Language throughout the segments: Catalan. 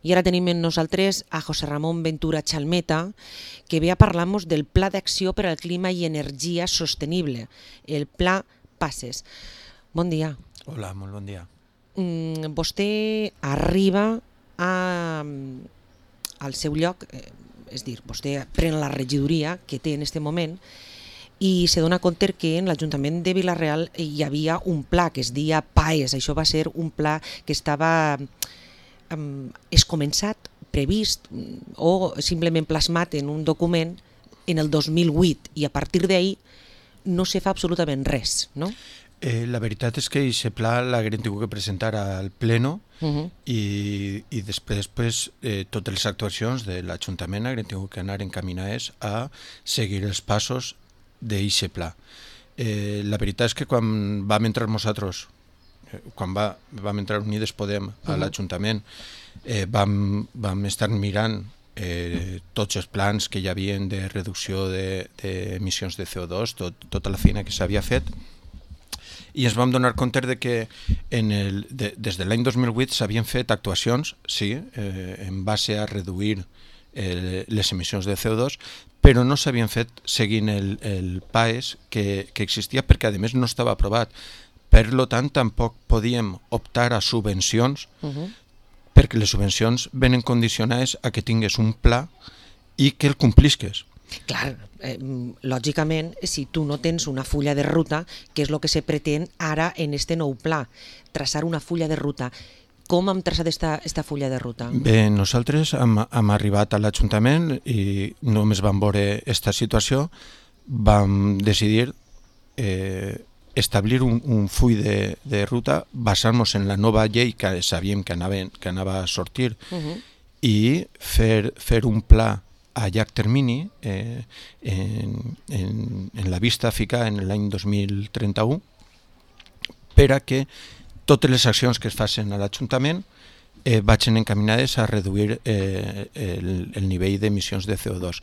I ara tenim amb nosaltres a José Ramón Ventura Chalmeta, que ve a parlar-nos del Pla d'Acció per al Clima i Energia Sostenible, el Pla PACES. Bon dia. Hola, molt bon dia. Vostè arriba al seu lloc, és dir, vostè pren la regidoria que té en aquest moment i se dona compte que en l'Ajuntament de Vila-real hi havia un pla que es deia PAES. Això va ser un pla que estava escomençat, previst o simplement plasmat en un document en el 2008 i a partir d'ahir no se fa absolutament res, no? La veritat és que aquest pla l'haguem tingut que presentar al Pleno i després totes les actuacions de l'Ajuntament haguem tingut que anar encaminades a seguir els passos d'aquest pla. La veritat és que quan vam entrar nosaltres, quan vam entrar Unides Podem a l'Ajuntament, vam estar mirant tots els plans que hi havia de reducció d'emissions de CO2, tota la feina que s'havia fet, i ens vam donar compte de que des de l'any 2008 s'havien fet actuacions, sí, en base a reduir les emissions de CO2, però no s'havien fet seguint el PAES que existia perquè a més no estava aprovat. Per tant, tampoc podíem optar a subvencions perquè les subvencions venen condicionades a que tingués un pla i que el complisques. Clar, lògicament, si tu no tens una fulla de ruta, que és el que se pretén ara en este nou pla, traçar una fulla de ruta. Com hem traçat esta fulla de ruta? Bé, nosaltres hem arribat a l'Ajuntament i només vam veure aquesta situació, vam decidir establir un full de ruta basant-nos en la nova llei que sabíem que anava a sortir i fer un pla a llarg termini en la vista a ficar en l'any 2031 per a que totes les accions que es facin a l'Ajuntament vagin encaminades a reduir el nivell d'emissions de CO2.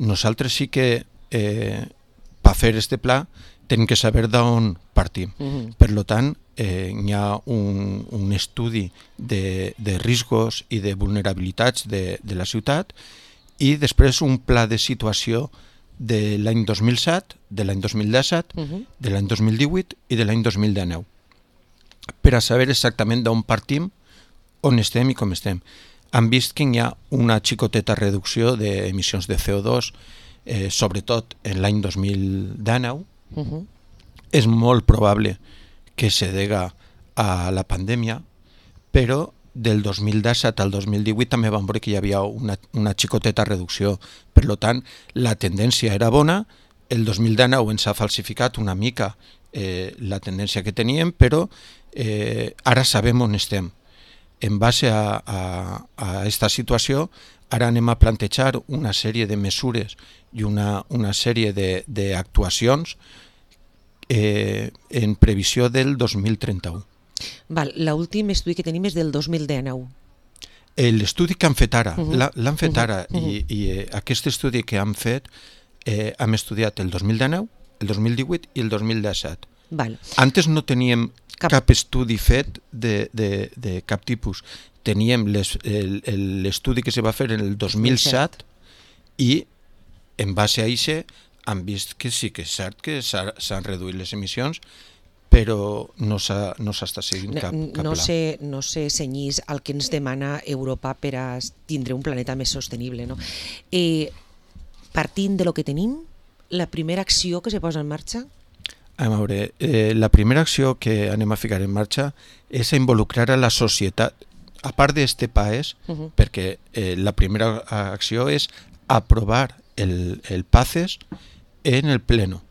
Nosaltres sí que per fer aquest pla tenim que saber d'on partim. Per tant, hi ha un estudi de riscos i de vulnerabilitats de la ciutat i després un pla de situació de l'any 2007, de l'any 2017, de l'any 2018 i de l'any 2019 per a saber exactament d'on partim, on estem i com estem. Han vist que hi ha una xicoteta reducció d'emissions de CO2, sobretot en l'any 2019. És molt probable que se dega a la pandèmia, però del 2017 al 2018 també vam veure que hi havia una xicoteta reducció. Per tant, la tendència era bona. El 2019 ens ha falsificat una mica la tendència que teníem, però ara sabem on estem. En base a aquesta situació, ara anem a plantejar una sèrie de mesures i una sèrie d'actuacions en previsió del 2031. L'últim estudi que tenim és del 2019. L'estudi que han fet ara, l'han fet ara, i aquest estudi que han fet hem estudiat el 2019, el 2018 i el 2017. Antes no teníem cap estudi fet de cap tipus. Teníem l'estudi que se va fer en el 2007 i en base a això han vist que sí que és cert que s'han reduït les emissions, però no s'està seguint cap pla. No se cenyís al que ens demana Europa per a tindre un planeta més sostenible. Partint de lo que tenim, la primera acció que se posa en marxa? A veure, la primera acció que anem a ficar en marxa és a involucrar a la societat, a part d'este PAES, perquè la primera acció és aprovar el PACES en el Pleno.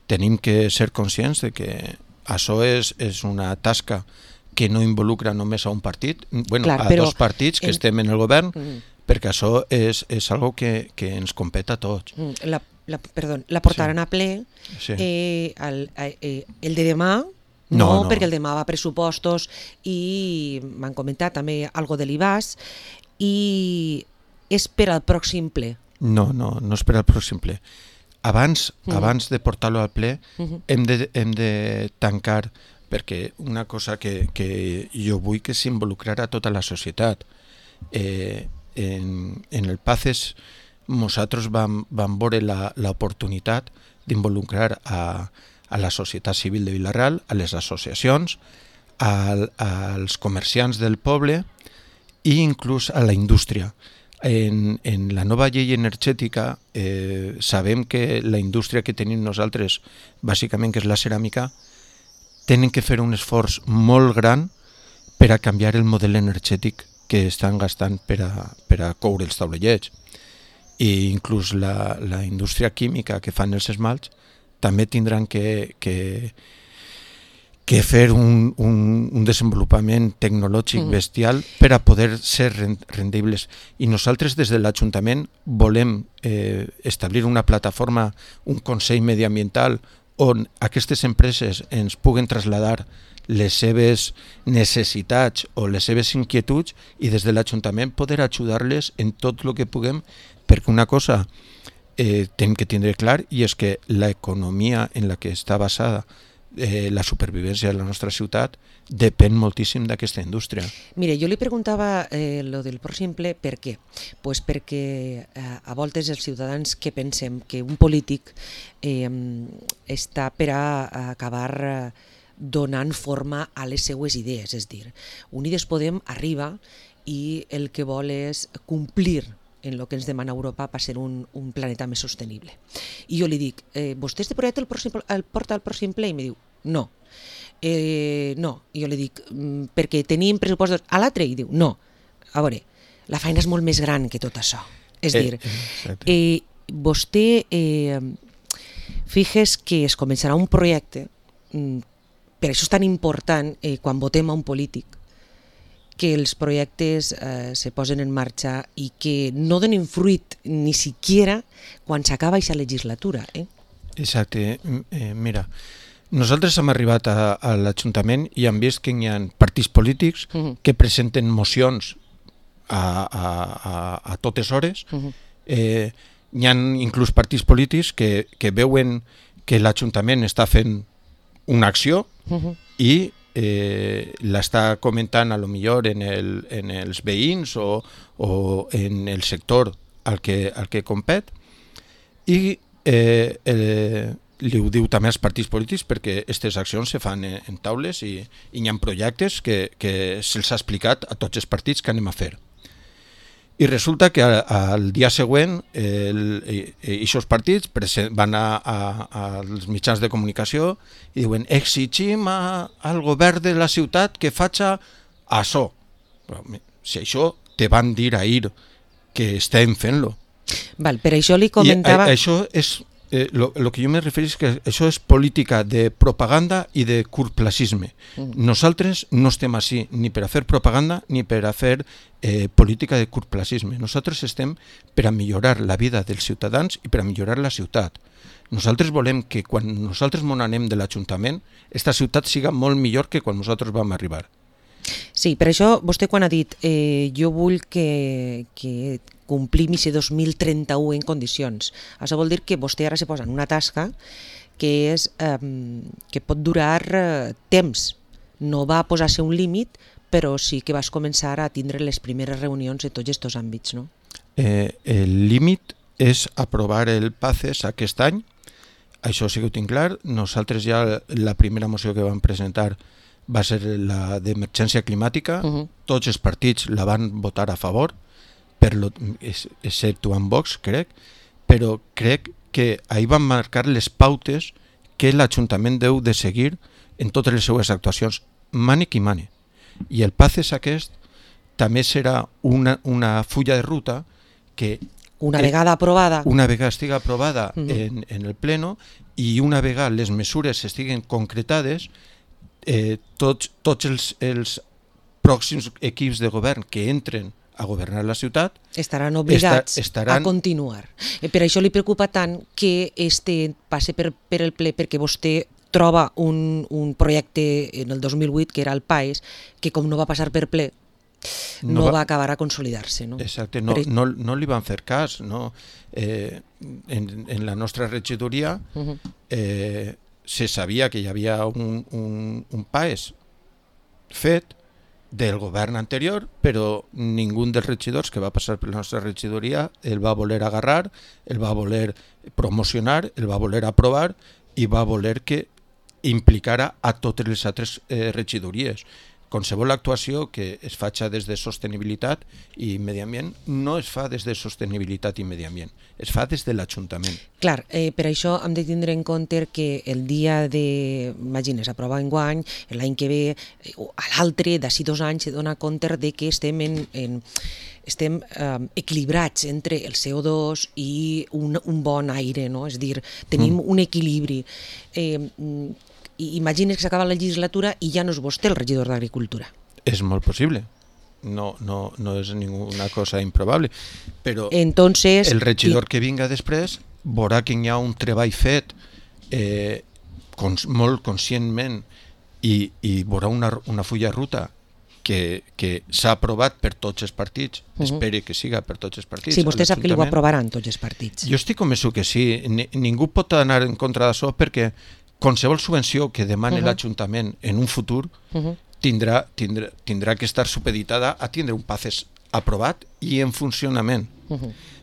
Tenim que ser conscients de que això és una tasca que no involucra només a un partit, a dos partits que estem en el govern, perquè això és algo que ens competa a tots. La portaran a ple el de demà, no, perquè el demà va a pressupostos i m'han comentat també algo de l'IBAS i és per al pròxim ple. No és per al pròxim ple. Abans de portar-lo al ple hem de tancar, perquè una cosa que jo vull que s'involucrarà tota la societat en el PACES nosaltres vam veure l'oportunitat d'involucrar a la societat civil de Vila-real, a les associacions, als comerciants del poble i inclús a la indústria. En la nova llei energètica sabem que la indústria que tenim nosaltres, bàsicament que és la ceràmica, tenen que fer un esforç molt gran per a canviar el model energètic que estan gastant per a coure els taulellets. I inclús la indústria química que fan els esmalts també tindran que fer un desenvolupament tecnològic bestial per a poder ser rendibles. I nosaltres des de l'Ajuntament volem establir una plataforma, un consell mediambiental on aquestes empreses ens puguen traslladar les seves necessitats o les seves inquietuds i des de l'Ajuntament poder ajudar-les en tot el que puguem, perquè una cosa tenim que tindre clar i és que l'economia en la que està basada la supervivència de la nostra ciutat depèn moltíssim d'aquesta indústria. Mire, jo li preguntava lo del pròxim ple per què? Pues perquè a voltes els ciutadans que pensem que un polític està per a acabar donant forma a les seues idees, és dir, Unides Podem arriba i el que vol és complir en el que ens demana Europa per ser un planeta més sostenible. I jo li dic, vostè este projecte el porta al pròxim ple? I em diu, no. No. I jo li dic, perquè tenim pressupostos a l'altre? I diu, no. A veure, la feina és molt més gran que tot això. És dir, vostè fixes que es començarà un projecte, per això és tan important quan votem a un polític, que els projectes se posen en marxa i que no donen fruit ni siquiera quan s'acaba aquesta legislatura. Exacte. Mira, nosaltres hem arribat a l'Ajuntament i hem vist que hi ha partits polítics que presenten mocions a totes hores. Hi ha inclús partits polítics que veuen que l'Ajuntament està fent una acció i l'està comentant a lo millor en els veïns o en el sector al que compet i li ho diu també als partits polítics perquè aquestes accions se fan en taules i hi ha projectes que se'ls ha explicat a tots els partits que anem a fer. I resulta que al dia següent aquests partits van als mitjans de comunicació i diuen exigim al govern de la ciutat que faci això. Si això te van dir ahir que estem fent-lo. Per això li comentava... Això és... Lo que jo me refereixo és que això és política de propaganda i de curtplacisme. Nosaltres no estem així ni per a fer propaganda ni per a fer política de curtplacisme. Nosaltres estem per a millorar la vida dels ciutadans i per a millorar la ciutat. Nosaltres volem que quan nosaltres mon anem de l'Ajuntament, esta ciutat siga molt millor que quan nosaltres vam arribar. Sí, per això vostè quan ha dit jo vull que complim aquest 2031 en condicions. Això vol dir que vostè ara se posa en una tasca que és que pot durar temps. No va posar-se un límit, però sí que vas començar a tindre les primeres reunions en tots aquests àmbits, no? El límit és aprovar el PACES aquest any. Això sí que ho tinc clar. Nosaltres ja la primera moció que vam presentar va ser la d'emergència climàtica. Tots els partits la van votar a favor, exceptuant Vox, crec, però crec que ahir van marcar les pautes que l'Ajuntament deu de seguir en totes les seues actuacions, mane qui mane. I el PACES aquest també serà una fulla de ruta que una vegada aprovada estigui aprovada en el pleno i una vegada les mesures estiguen concretades, tots els pròxims equips de govern que entren a governar la ciutat estaran obligats a continuar. Per això li preocupa tant que passe per el ple, perquè vostè troba un projecte en el 2008, que era el PAES, que com no va passar per ple, no va acabar a consolidar-se. Exacte, no li van fer cas. En la nostra regidoria se sabia que hi havia un PAES fet del govern anterior, però ningú dels regidors que va passar per la nostra regidoria el va voler agarrar, el va voler promocionar, el va voler aprovar i va voler que implicara a totes les altres regidories. Qualsevol actuació que es faci des de sostenibilitat i medi ambient no es fa des de sostenibilitat i medi ambient, es fa des de l'Ajuntament. Clar, per això hem de tindre en compte que el dia de, imagines, aprova enguany, l'any que ve, a l'altre, d'ací 2 anys, se dona compte de que estem equilibrats entre el CO2 i un bon aire, no? És a dir, tenim un equilibri. Imagines que s'acaba la legislatura i ja no és vostè el regidor d'Agricultura. És molt possible. No és ninguna cosa improbable. Però entonces, el regidor que vinga després veurà que hi ha un treball fet molt conscientment i veurà una fulla de ruta que s'ha aprovat per tots els partits. Espere que siga per tots els partits. Sí, vostè sap que li ho aprovaran tots els partits. Jo estic convençut que sí. Ningú pot anar en contra d'això perquè qualsevol subvenció que demani l'Ajuntament en un futur tindrà que estar supeditada a tindre un PACES aprovat i en funcionament.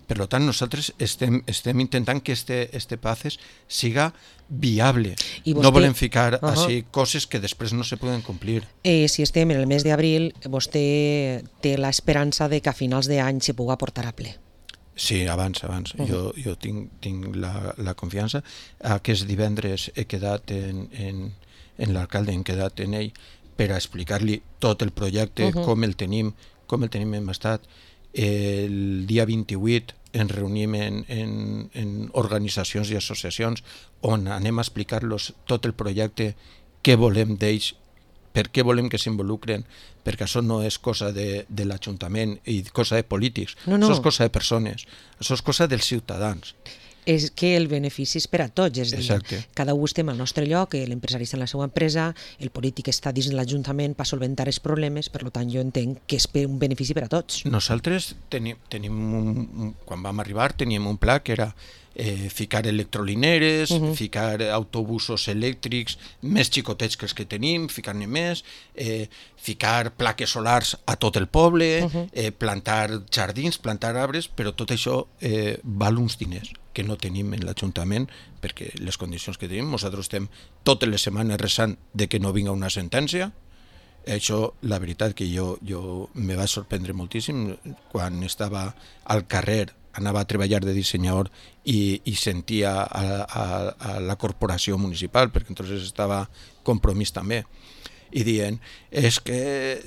Per tant, nosaltres estem intentant que este PACES siga viable. No volem ficar així coses que després no se poden complir. Si estem en el mes d'abril, vostè té l'esperança de que a finals d'any se pugui portar a ple. Sí, abans. Jo tinc la confiança. Aquest divendres he quedat en l'alcalde, hem quedat en ell per a explicar-li tot el projecte, com el tenim en estat. El dia 28 ens reunim en organitzacions i associacions on anem a explicar-los tot el projecte, què volem d'ells, per què volem que s'involucren, perquè això no és cosa de l'Ajuntament i cosa de polítics, això és cosa de persones, això és cosa dels ciutadans. És que el benefici és per a tots, és a dir, cada un estem al nostre lloc, l'empresari està en la seva empresa, el polític està dins l'Ajuntament per solventar els problemes, per tant jo entenc que és un benefici per a tots. Nosaltres quan vam arribar teníem un pla que era ficar electrolineres, ficar autobusos elèctrics més xicotets que els que tenim, ficar-ne més, ficar plaques solars a tot el poble, plantar jardins, plantar arbres, però tot això val uns diners que no tenim en l'Ajuntament perquè les condicions que tenim, nosaltres estem totes les setmanes resant de que no vinga una sentència. Això, la veritat que jo me va sorprendre moltíssim quan estava al carrer, anava a treballar de dissenyador i sentia a la corporació municipal, perquè entonces estava compromís també, i dient és que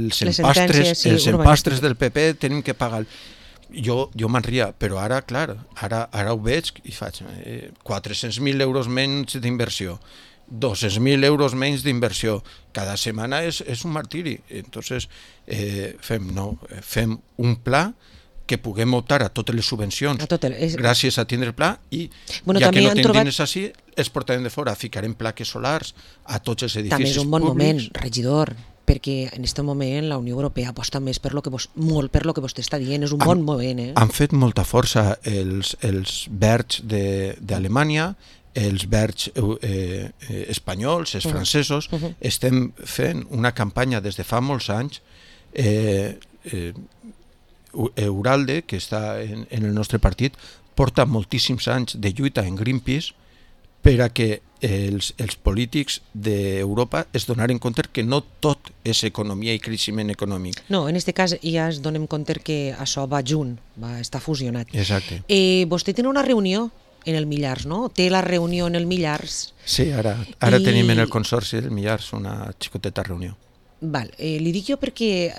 els empastres del PP tenim que pagar. Jo me'n ria, però ara, clar, ara ho veig i faig 400.000 euros menys d'inversió, 200.000 euros menys d'inversió, cada setmana és un martiri. Entonces fem un pla que puguem optar a totes les subvencions gràcies a tindre el pla i ja que no tenim diners així els portarem de fora, ficarem plaques solars a tots els edificis públics. També és un bon moment, regidor, perquè en aquest moment la Unió Europea aposta més molt per lo que vostè està dient, és un bon moment. Han fet molta força els verds d'Alemanya, els verds espanyols, els francesos. Estem fent una campanya des de fa molts anys. Euralde, que està en el nostre partit, porta moltíssims anys de lluita en Greenpeace per a que els polítics d'Europa es donaren compte que no tot és economia i creixement econòmic. No, en aquest cas ja es donem compte que això va junt, va estar fusionat. Exacte. Vostè té una reunió en el Millars, no? Té la reunió en el Millars. Sí, ara tenim en el Consorci del Millars una xicoteta reunió. Val, li dic jo perquè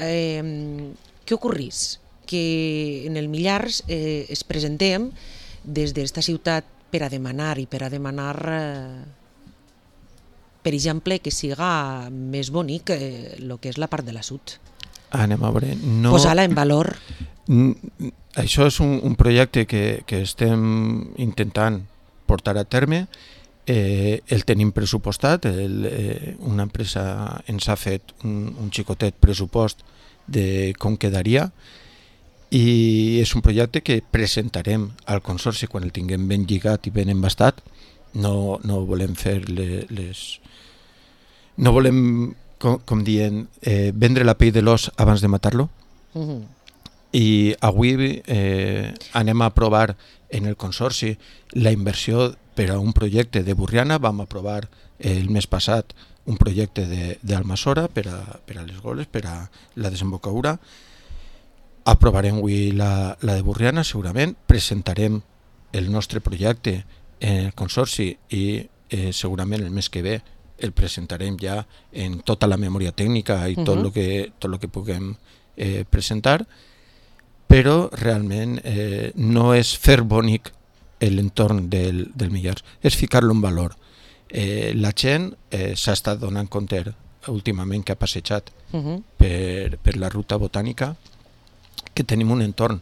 què ocorrís? Que en el Millars es presentem des d'esta ciutat per a demanar per exemple, que siga més bonic el que és la part de la sud. Anem a veure. Posar-la en valor. Això és un projecte que estem intentant portar a terme. El tenim pressupostat. Una empresa ens ha fet un xicotet pressupost de com quedaria. I és un projecte que presentarem al Consorci quan el tinguem ben lligat i ben embastat. No volem fer no volem com dient, vendre la pell de l'os abans de matar-lo. I avui anem a aprovar en el Consorci la inversió per a un projecte de Borriana. Vam aprovar el mes passat un projecte d'Almassora per a les goles, per a la desembocadura. Aprovarem avui la de Borriana, segurament. Presentarem el nostre projecte en el Consorci i segurament el mes que ve el presentarem ja en tota la memòria tècnica i tot el que puguem presentar, però realment no és fer bonic l'entorn del Millars, és ficar-lo en valor. La gent s'ha estat donant compte últimament que ha passejat per la ruta botànica que tenim un entorn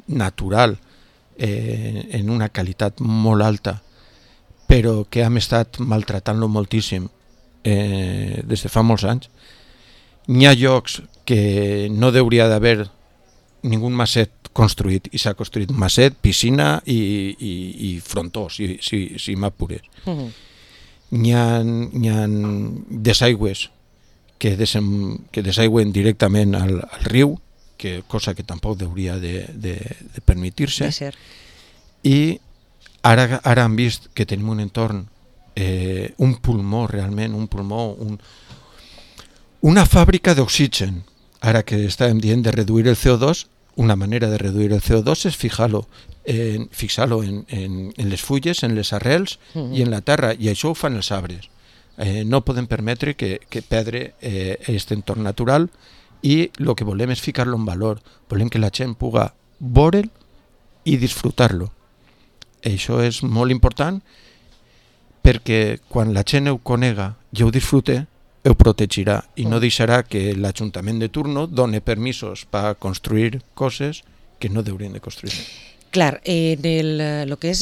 natural en una qualitat molt alta, però que hem estat maltratant-lo moltíssim des de fa molts anys. N'hi ha llocs que no hauria d'haver ningú maset construït i s'ha construït un maset, piscina i frontó, si m'apures. N'hi ha desaigües que desaigüen directament al riu, cosa que tampoc hauria de permetir-se. I ara han vist que tenim un entorn, un pulmó realment, una fàbrica d'oxigen. Ara que estàvem dient de reduir el CO2, una manera de reduir el CO2 és fixar-lo en les fulles, en les arrels i en la terra, i això ho fan els arbres. No podem permetre que perdre aquest entorn natural, i el que volem és ficar-lo en valor. Volem que la gent pugui veure'l i disfrutar-lo. Això és molt important, perquè quan la gent ho conega i ho disfrute, ho protegirà i no deixarà que l'Ajuntament de turno doni permisos per construir coses que no haurien de construir. Clar, en el que és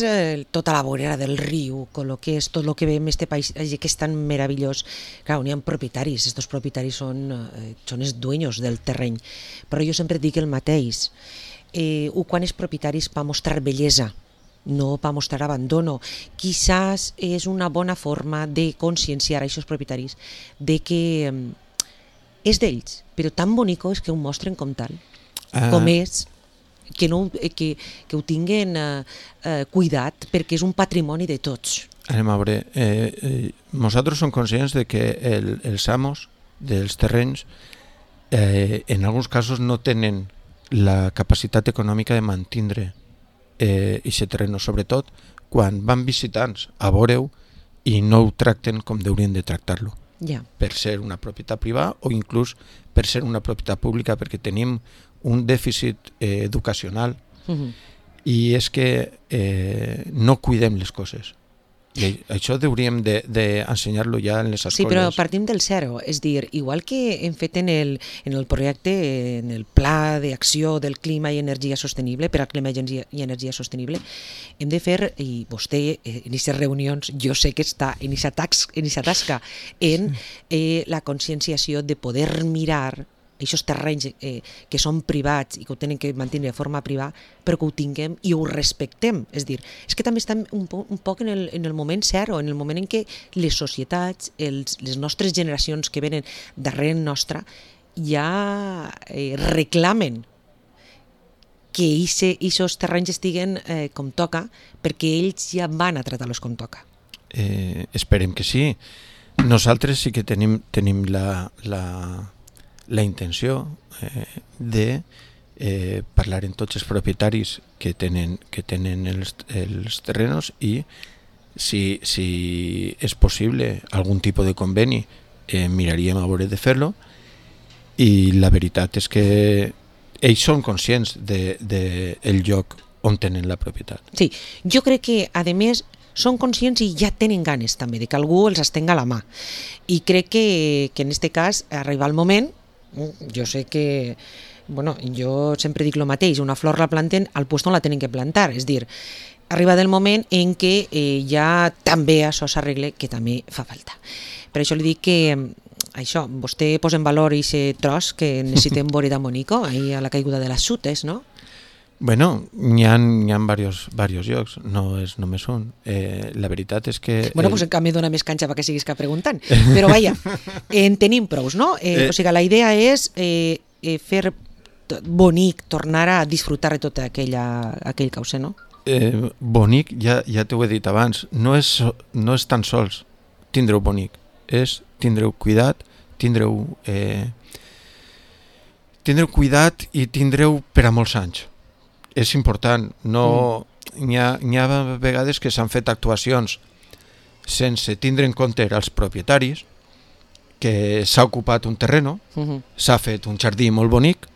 tota la vorera del riu, el que és tot el que veiem en aquest paisatge que és tan meravellós, clar, n'hi ha propietaris, aquests propietaris són els dueños del terreny, però jo sempre dic el mateix, quan és propietaris per mostrar bellesa, no per mostrar abandono. Quizás és una bona forma de conscienciar a aquests propietaris de que és d'ells, però tan bonico és que ho mostren com tal, com és, que ho tinguin cuidat, perquè és un patrimoni de tots. Anem a veure, nosaltres som conscients de que els amos dels terrenys en alguns casos no tenen la capacitat econòmica de mantindre aquest terreny, sobretot quan van visitants a veure-ho i no ho tracten com haurien de tractar-lo. Per ser una propietat privada o inclús per ser una propietat pública, perquè tenim un dèficit educacional i és que no cuidem les coses. I això hauríem d'ensenyar-lo ja en les escoles. Sí, però partim del zero, és dir, igual que hem fet en el projecte, en el pla d'acció del clima i energia sostenible, per al clima i energia sostenible, hem de fer, i vostè en aquestes reunions jo sé que està en aquesta tasca, en la conscienciació de poder mirar aquests terrenys que són privats i que ho tenen que mantenir de forma privada, però que ho tinguem i ho respectem. És dir, és que també estem un poc en el moment zero, en el moment en què les societats, les nostres generacions que venen darrere nostra, ja reclamen que aquests terrenys estiguen com toca, perquè ells ja van a tratar-los com toca. Esperem que sí. Nosaltres sí que tenim la intenció de parlar amb tots els propietaris que tenen els terrenos i si és possible algun tipus de conveni miraríem a veure de fer-lo, i la veritat és que ells són conscients del lloc on tenen la propietat. Sí, jo crec que a més són conscients i ja tenen ganes també de que algú els estenga la mà, i crec que en aquest cas arriba el moment. Jo sé que, jo sempre dic el mateix, una flor la planten al lloc on la tenen que plantar, és dir, arriba del moment en què ja també això s'arregle, que també fa falta. Per això li dic que això, vostè posa en valor aquest tros que necessitem veure de Monico, ahir a la caiguda de les Xutes, no? Bueno, n'hi ha varios llocs, no és només un. La veritat és que... Bueno, doncs en canvi dona més canxa perquè siguis que preguntant. Però vaja, en tenim prous, no? O sigui, la idea és fer bonic, tornar a disfrutar de tot aquell causer, no? Bonic, ja t'ho he dit abans, no és tan sols tindreu bonic, és tindreu cuidat, tindreu cuidat i tindreu per a molts anys. És important, n'hi ha vegades que s'han fet actuacions sense tindre en compte els propietaris, que s'ha ocupat un terreno, s'ha fet un jardí molt bonic,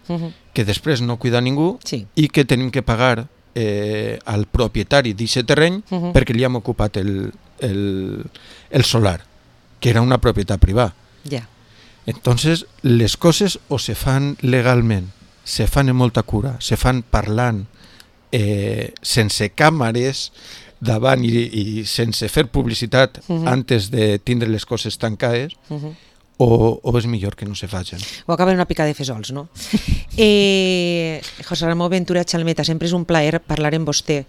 que després no cuida ningú i que tenim que pagar al propietari d'aquest terreny perquè li hem ocupat el solar, que era una propietat privada. Entonces, les coses o se fan legalment, se fan amb molta cura, se fan parlant, sense càmeres davant i sense fer publicitat antes de tindre les coses tancades, o és millor que no se facin. O acaben una pica de fesols, no? José Ramón Ventura Chalmeta, sempre és un plaer parlar amb vostè,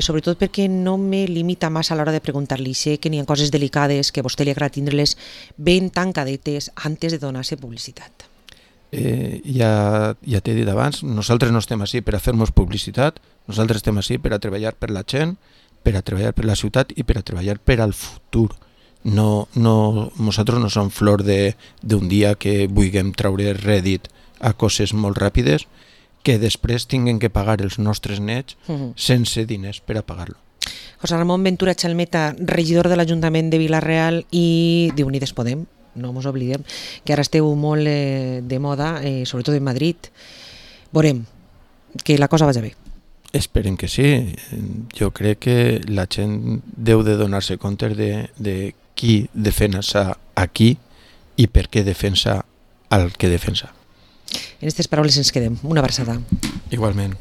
sobretot perquè no me limita massa a l'hora de preguntar-li. Sé que n'hi ha coses delicades que a vostè li agrada tindre-les ben tancadetes antes de donar-se publicitat. Ja t'he dit abans, nosaltres no estem així per a fer-nos publicitat, nosaltres estem així per a treballar per la gent, per a treballar per la ciutat i per a treballar per al futur. Nosaltres no som flor d'un dia que vulguem treure rèdit a coses molt ràpides que després tinguem que pagar els nostres nets sense diners per a pagar-lo. José Ramón Ventura Chalmeta, regidor de l'Ajuntament de Vila-real i d'Unides Podem, no ens oblidem que ara esteu molt de moda, sobretot en Madrid. Veurem que la cosa vagi bé. Esperem que sí. Jo crec que la gent deu de donar-se compte de qui defensa a qui i per què defensa el que defensa. En aquestes paraules ens quedem. Una abraçada. Igualment.